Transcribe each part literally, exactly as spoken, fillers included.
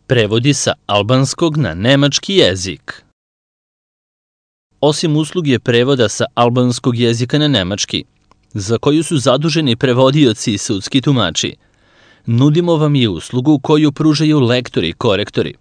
Prevodi sa albanskog na nemački jezik. Osim usluge prevoda sa albanskog jezika na nemački, za koju su zaduženi prevodioci i sudski tumači, nudimo vam i uslugu koju pružaju lektori i korektori,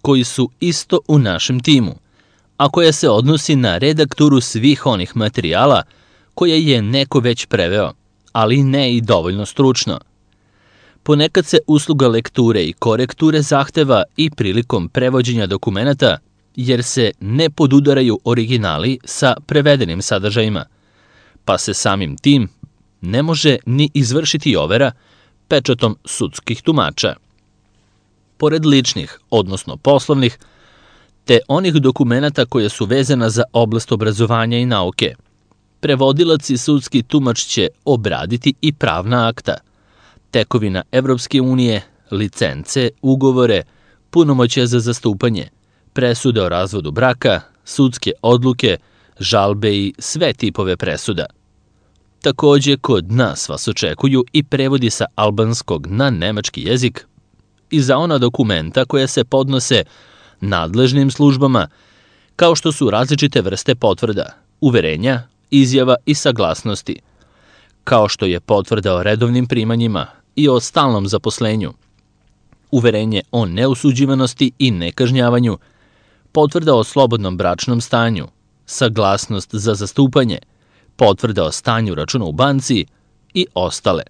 koji su isto u našem timu, a koja se odnosi na redakturu svih onih materijala koje je neko već preveo, ali ne i dovoljno stručno. Ponekad se usluga lekture i korekture zahteva i prilikom prevođenja dokumenata, jer se ne podudaraju originali sa prevedenim sadržajima, pa se samim tim ne može ni izvršiti overa pečatom sudskih tumača. Pored ličnih, odnosno poslovnih, te onih dokumenata koje su vezana za oblast obrazovanja i nauke, prevodilac i sudski tumač će obraditi i pravna akta, tekovina Evropske unije, licence, ugovore, punomoćja za zastupanje, presude o razvodu braka, sudske odluke, žalbe i sve tipove presuda. Takođe, kod nas vas očekuju i prevodi sa albanskog na nemački jezik i za ona dokumenta koja se podnose nadležnim službama, kao što su različite vrste potvrda, uverenja, izjava i saglasnosti, kao što je potvrda o redovnim primanjima i o stalnom zaposlenju, uverenje o neusuđivanosti i nekažnjavanju, potvrda o slobodnom bračnom stanju, saglasnost za zastupanje, potvrda o stanju računa u banci i ostale.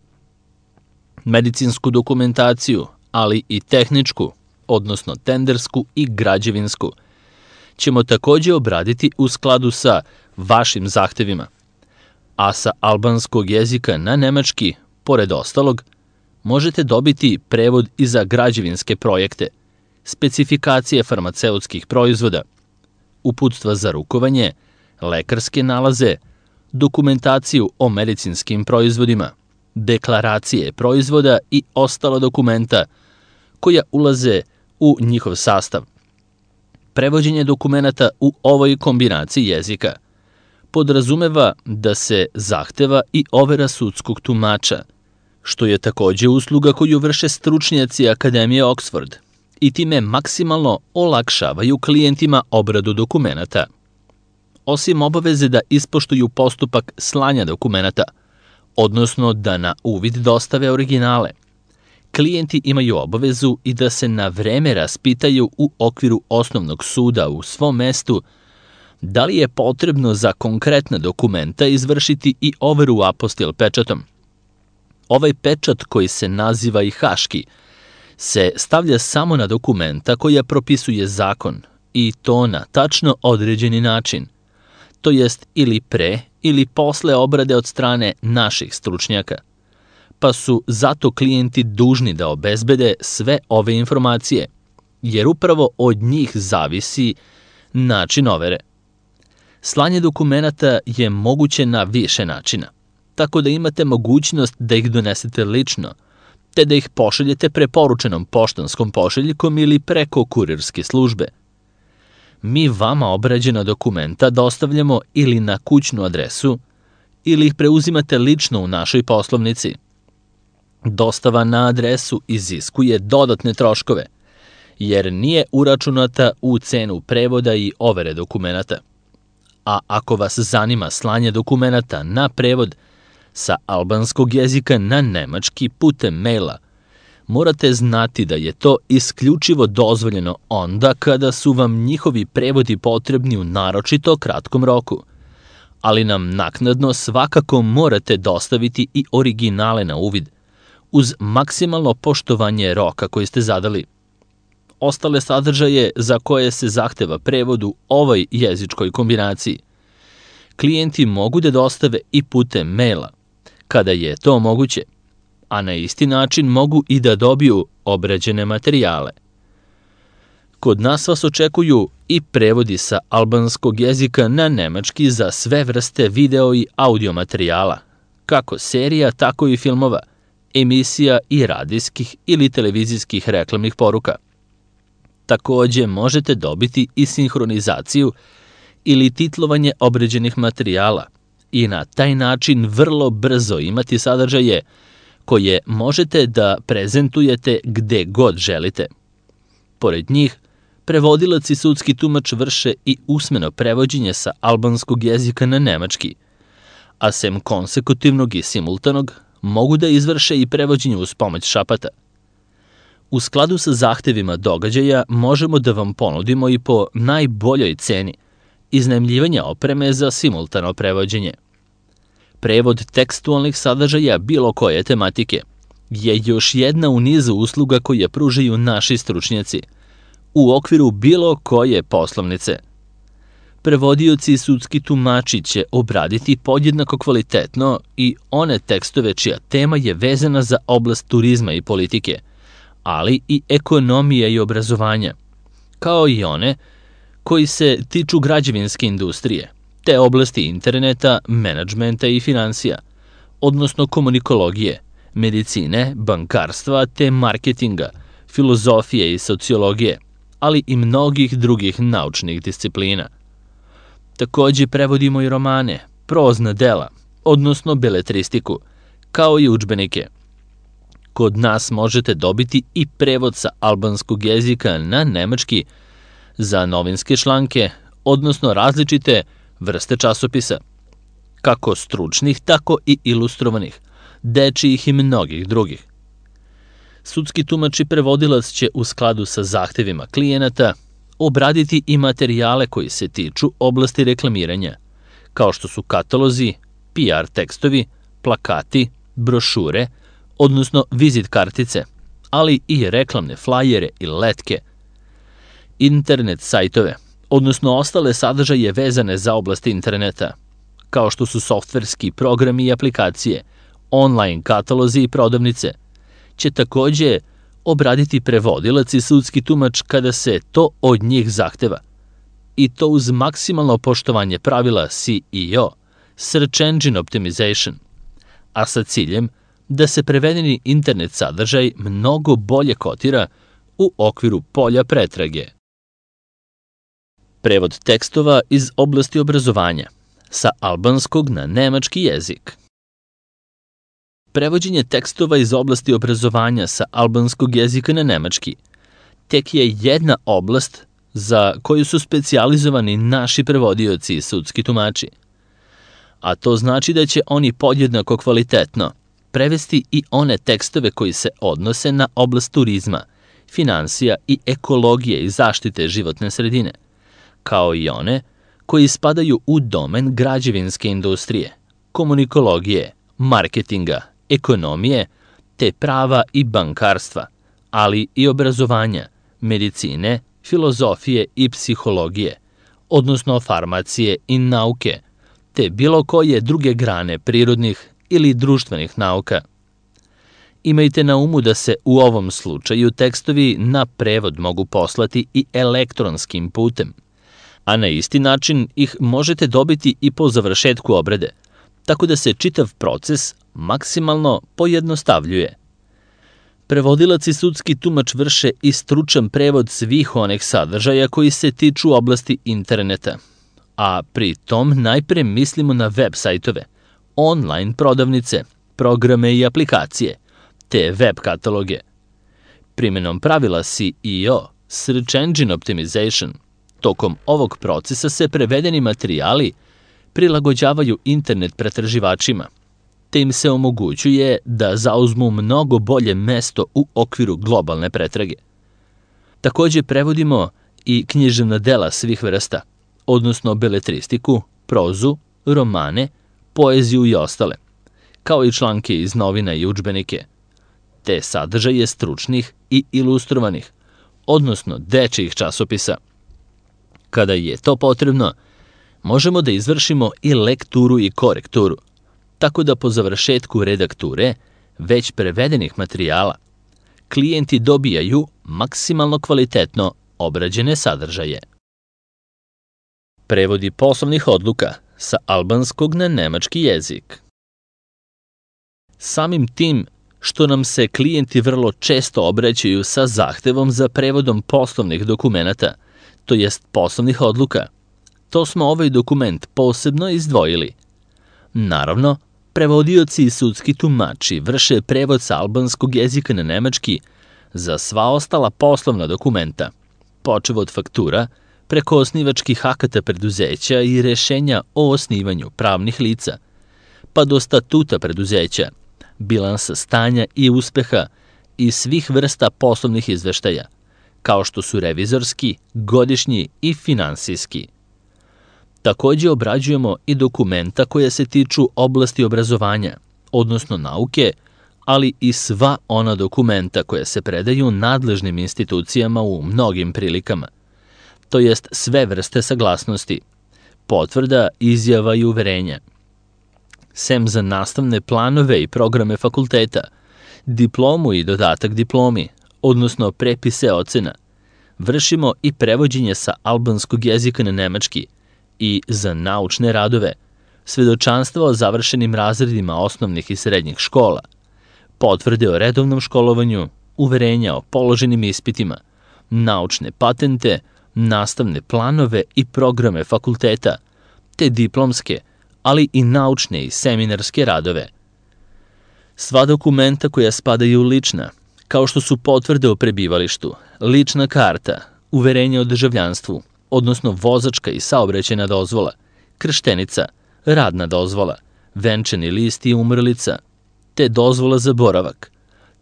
Medicinsku dokumentaciju, ali i tehničku, odnosno tendersku i građevinsku, ćemo takođe obraditi u skladu sa vašim zahtevima, a sa albanskog jezika na nemački, pored ostalog, možete dobiti prevod i za građevinske projekte, specifikacije farmaceutskih proizvoda, uputstva za rukovanje, lekarske nalaze, dokumentaciju o medicinskim proizvodima, deklaracije proizvoda i ostala dokumenta koja ulaze u njihov sastav. Prevođenje dokumenata u ovoj kombinaciji jezika podrazumeva da se zahteva i overa sudskog tumača, što je takođe usluga koju vrše stručnjaci Akademije Oxford i time maksimalno olakšavaju klijentima obradu dokumenata. Osim obaveze da ispoštuju postupak slanja dokumenata, odnosno da na uvid dostave originale, klijenti imaju obavezu i da se na vreme raspitaju u okviru osnovnog suda u svom mestu da li je potrebno za konkretna dokumenta izvršiti i overu apostil pečatom. Ovaj pečat, koji se naziva i haški, se stavlja samo na dokumenta koja propisuje zakon i to na tačno određeni način, to jest ili pre ili posle obrade od strane naših stručnjaka, pa su zato klijenti dužni da obezbede sve ove informacije, jer upravo od njih zavisi način overe. Slanje dokumenata je moguće na više načina, tako da imate mogućnost da ih donesete lično, te da ih pošaljete preporučenom poštanskom pošiljkom ili preko kurirske službe. Mi vama obrađena dokumenta dostavljamo ili na kućnu adresu, ili ih preuzimate lično u našoj poslovnici. Dostava na adresu iziskuje dodatne troškove, jer nije uračunata u cenu prevoda i overe dokumenata. A ako vas zanima slanje dokumenata na prevod sa albanskog jezika na nemački putem maila, morate znati da je to isključivo dozvoljeno onda kada su vam njihovi prevodi potrebni u naročito kratkom roku, ali nam naknadno svakako morate dostaviti i originale na uvid, uz maksimalno poštovanje roka koji ste zadali. Ostale sadržaje za koje se zahteva prevod u ovoj jezičkoj kombinaciji, klijenti mogu da dostave i putem maila, kada je to moguće, a na isti način mogu i da dobiju obrađene materijale. Kod nas vas očekuju i prevodi sa albanskog jezika na nemački za sve vrste video i audio materijala, kako serija, tako i filmova, emisija i radijskih ili televizijskih reklamnih poruka. Takođe možete dobiti i sinhronizaciju ili titlovanje obrađenih materijala i na taj način vrlo brzo imati sadržaje koje možete da prezentujete gde god želite. Pored njih, prevodilac i sudski tumač vrše i usmeno prevođenje sa albanskog jezika na nemački, a sem konsekutivnog i simultanog, mogu da izvrše i prevođenje uz pomoć šapata. U skladu sa zahtevima događaja možemo da vam ponudimo i po najboljoj ceni iznajmljivanje opreme za simultano prevođenje. Prevod tekstualnih sadržaja bilo koje tematike je još jedna u nizu usluga koje pružaju naši stručnjaci u okviru bilo koje poslovnice. Prevodioci i sudski tumači će obraditi podjednako kvalitetno i one tekstove čija tema je vezana za oblast turizma i politike, ali i ekonomije i obrazovanja, kao i one koji se tiču građevinske industrije, te oblasti interneta, menadžmenta i finansija, odnosno komunikologije, medicine, bankarstva te marketinga, filozofije i sociologije, ali i mnogih drugih naučnih disciplina. Takođe prevodimo i romane, prozna dela, odnosno beletristiku, kao i udžbenike. Kod nas možete dobiti i prevod sa albanskog jezika na nemački za novinske članke, odnosno različite vrste časopisa, kako stručnih, tako i ilustrovanih, dečijih i mnogih drugih. Sudski tumač i prevodilac će u skladu sa zahtevima klijenata obraditi i materijale koji se tiču oblasti reklamiranja, kao što su katalozi, P R tekstovi, plakati, brošure, odnosno vizit kartice, ali i reklamne flajere i letke, internet sajtove, odnosno ostale sadržaje vezane za oblast interneta, kao što su softverski programi i aplikacije, online katalozi i prodavnice, će takođe obraditi prevodilac i sudski tumač kada se to od njih zahteva, i to uz maksimalno poštovanje pravila S E O, Search Engine Optimization, a sa ciljem da se prevedeni internet sadržaj mnogo bolje kotira u okviru polja pretrage. Prevod tekstova iz oblasti obrazovanja sa albanskog na nemački jezik. Prevođenje tekstova iz oblasti obrazovanja sa albanskog jezika na nemački tek je jedna oblast za koju su specijalizovani naši prevodioci i sudski tumači. A to znači da će oni podjednako kvalitetno prevesti i one tekstove koji se odnose na oblast turizma, finansija i ekologije i zaštite životne sredine, kao i one koji spadaju u domen građevinske industrije, komunikologije, marketinga, ekonomije, te prava i bankarstva, ali i obrazovanja, medicine, filozofije i psihologije, odnosno farmacije i nauke, te bilo koje druge grane prirodnih ili društvenih nauka. Imajte na umu da se u ovom slučaju tekstovi na prevod mogu poslati i elektronskim putem, a na isti način ih možete dobiti i po završetku obrade, tako da se čitav proces maksimalno pojednostavljuje. Prevodilac i sudski tumač vrše i stručan prevod svih onih sadržaja koji se tiču oblasti interneta, a pri tom najpre mislimo na web sajtove, online prodavnice, programe i aplikacije, te web kataloge. Primenom pravila S E O, Search Engine Optimization, tokom ovog procesa se prevedeni materijali prilagođavaju internet pretraživačima, te im se omogućuje da zauzmu mnogo bolje mesto u okviru globalne pretrage. Takođe prevodimo i književna dela svih vrsta, odnosno beletristiku, prozu, romane, poeziju i ostale, kao i članke iz novina i udžbenike, te sadržaje stručnih i ilustrovanih, odnosno dečijih časopisa. Kada je to potrebno, možemo da izvršimo i lekturu i korekturu, tako da po završetku redakture već prevedenih materijala klijenti dobijaju maksimalno kvalitetno obrađene sadržaje. Prevodi poslovnih odluka sa albanskog na nemački jezik. Samim tim što nam se klijenti vrlo često obraćaju sa zahtevom za prevodom poslovnih dokumenata, to jest poslovnih odluka, to smo ovaj dokument posebno izdvojili. Naravno, prevodioci i sudski tumači vrše prevod sa albanskog jezika na nemački za sva ostala poslovna dokumenta, počev od faktura, preko osnivačkih akata preduzeća i rešenja o osnivanju pravnih lica, pa do statuta preduzeća, bilansa stanja i uspeha i svih vrsta poslovnih izveštaja, kao što su revizorski, godišnji i finansijski. Takođe obrađujemo i dokumenta koja se tiču oblasti obrazovanja, odnosno nauke, ali i sva ona dokumenta koja se predaju nadležnim institucijama u mnogim prilikama, to jest sve vrste saglasnosti, potvrda, izjava i uverenja. Sem za nastavne planove i programe fakulteta, diplomu i dodatak diplomi, odnosno prepise ocena, vršimo i prevođenje sa albanskog jezika na nemački i za naučne radove, svedočanstva o završenim razredima osnovnih i srednjih škola, potvrde o redovnom školovanju, uverenja o položenim ispitima, naučne patente, nastavne planove i programe fakulteta, te diplomske, ali i naučne i seminarske radove. Sva dokumenta koja spadaju u lična, kao što su potvrde o prebivalištu, lična karta, uverenje o državljanstvu, odnosno vozačka i saobraćajna dozvola, krštenica, radna dozvola, venčani list i umrlica, te dozvola za boravak.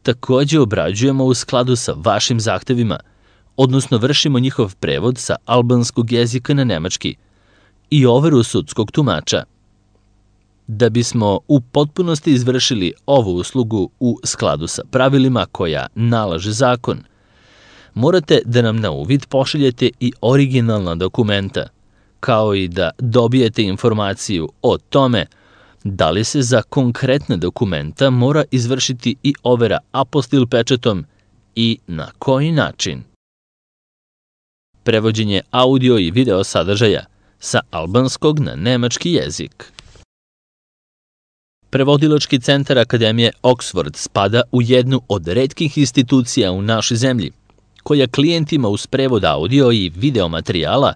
Takođe obrađujemo u skladu sa vašim zahtevima, odnosno vršimo njihov prevod sa albanskog jezika na nemački i overu sudskog tumača. Da bismo u potpunosti izvršili ovu uslugu u skladu sa pravilima koja nalaže zakon, morate da nam na uvid pošaljete i originalna dokumenta, kao i da dobijete informaciju o tome da li se za konkretne dokumenta mora izvršiti i overa apostil pečatom i na koji način. Prevođenje audio i video sadržaja sa albanskog na nemački jezik. Prevodilački centar Akademije Oxford spada u jednu od retkih institucija u našoj zemlji, koja klijentima uz prevod audio i video materijala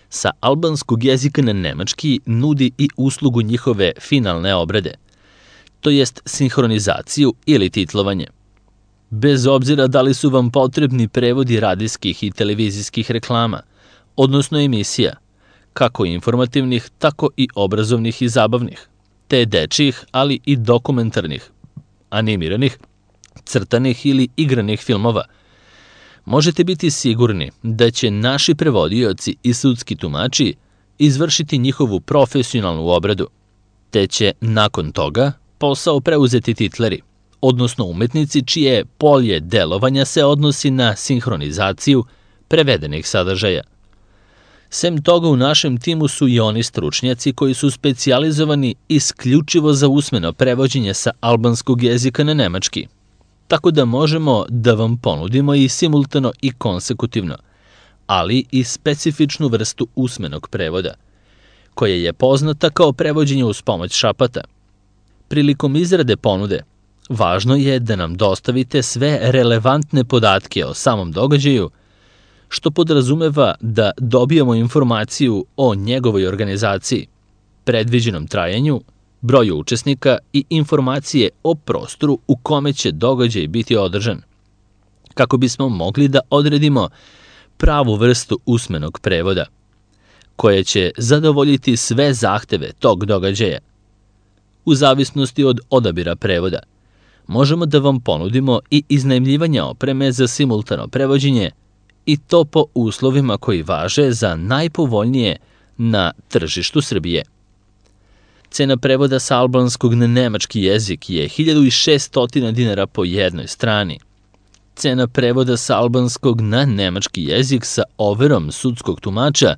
sa albanskog jezika na nemački nudi i uslugu njihove finalne obrade, to jest sinhronizaciju ili titlovanje. Bez obzira da li su vam potrebni prevodi radijskih i televizijskih reklama, odnosno emisija, kako informativnih, tako i obrazovnih i zabavnih, te dečjih, ali i dokumentarnih, animiranih, crtanih ili igranih filmova, možete biti sigurni da će naši prevodioci i sudski tumači izvršiti njihovu profesionalnu obradu, te će nakon toga posao preuzeti titleri, odnosno umetnici čije polje delovanja se odnosi na sinhronizaciju prevedenih sadržaja. Sem toga, u našem timu su i oni stručnjaci koji su specijalizovani isključivo za usmeno prevođenje sa albanskog jezika na nemački, tako da možemo da vam ponudimo i simultano i konsekutivno, ali i specifičnu vrstu usmenog prevoda, koja je poznata kao prevođenje uz pomoć šapata. Prilikom izrade ponude, važno je da nam dostavite sve relevantne podatke o samom događaju, što podrazumeva da dobijamo informaciju o njegovoj organizaciji, predviđenom trajanju, broju učesnika i informacije o prostoru u kome će događaj biti održan, kako bismo mogli da odredimo pravu vrstu usmenog prevoda, koja će zadovoljiti sve zahteve tog događaja. U zavisnosti od odabira prevoda, možemo da vam ponudimo i iznajmljivanje opreme za simultano prevođenje, i to po uslovima koji važe za najpovoljnije na tržištu Srbije. Cena prevoda sa albanskog na nemački jezik je hiljadu šessto dinara po jednoj strani. Cena prevoda sa albanskog na nemački jezik sa overom sudskog tumača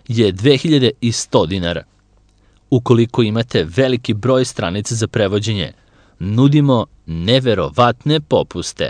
je dve hiljade sto dinara. Ukoliko imate veliki broj stranica za prevođenje, nudimo neverovatne popuste.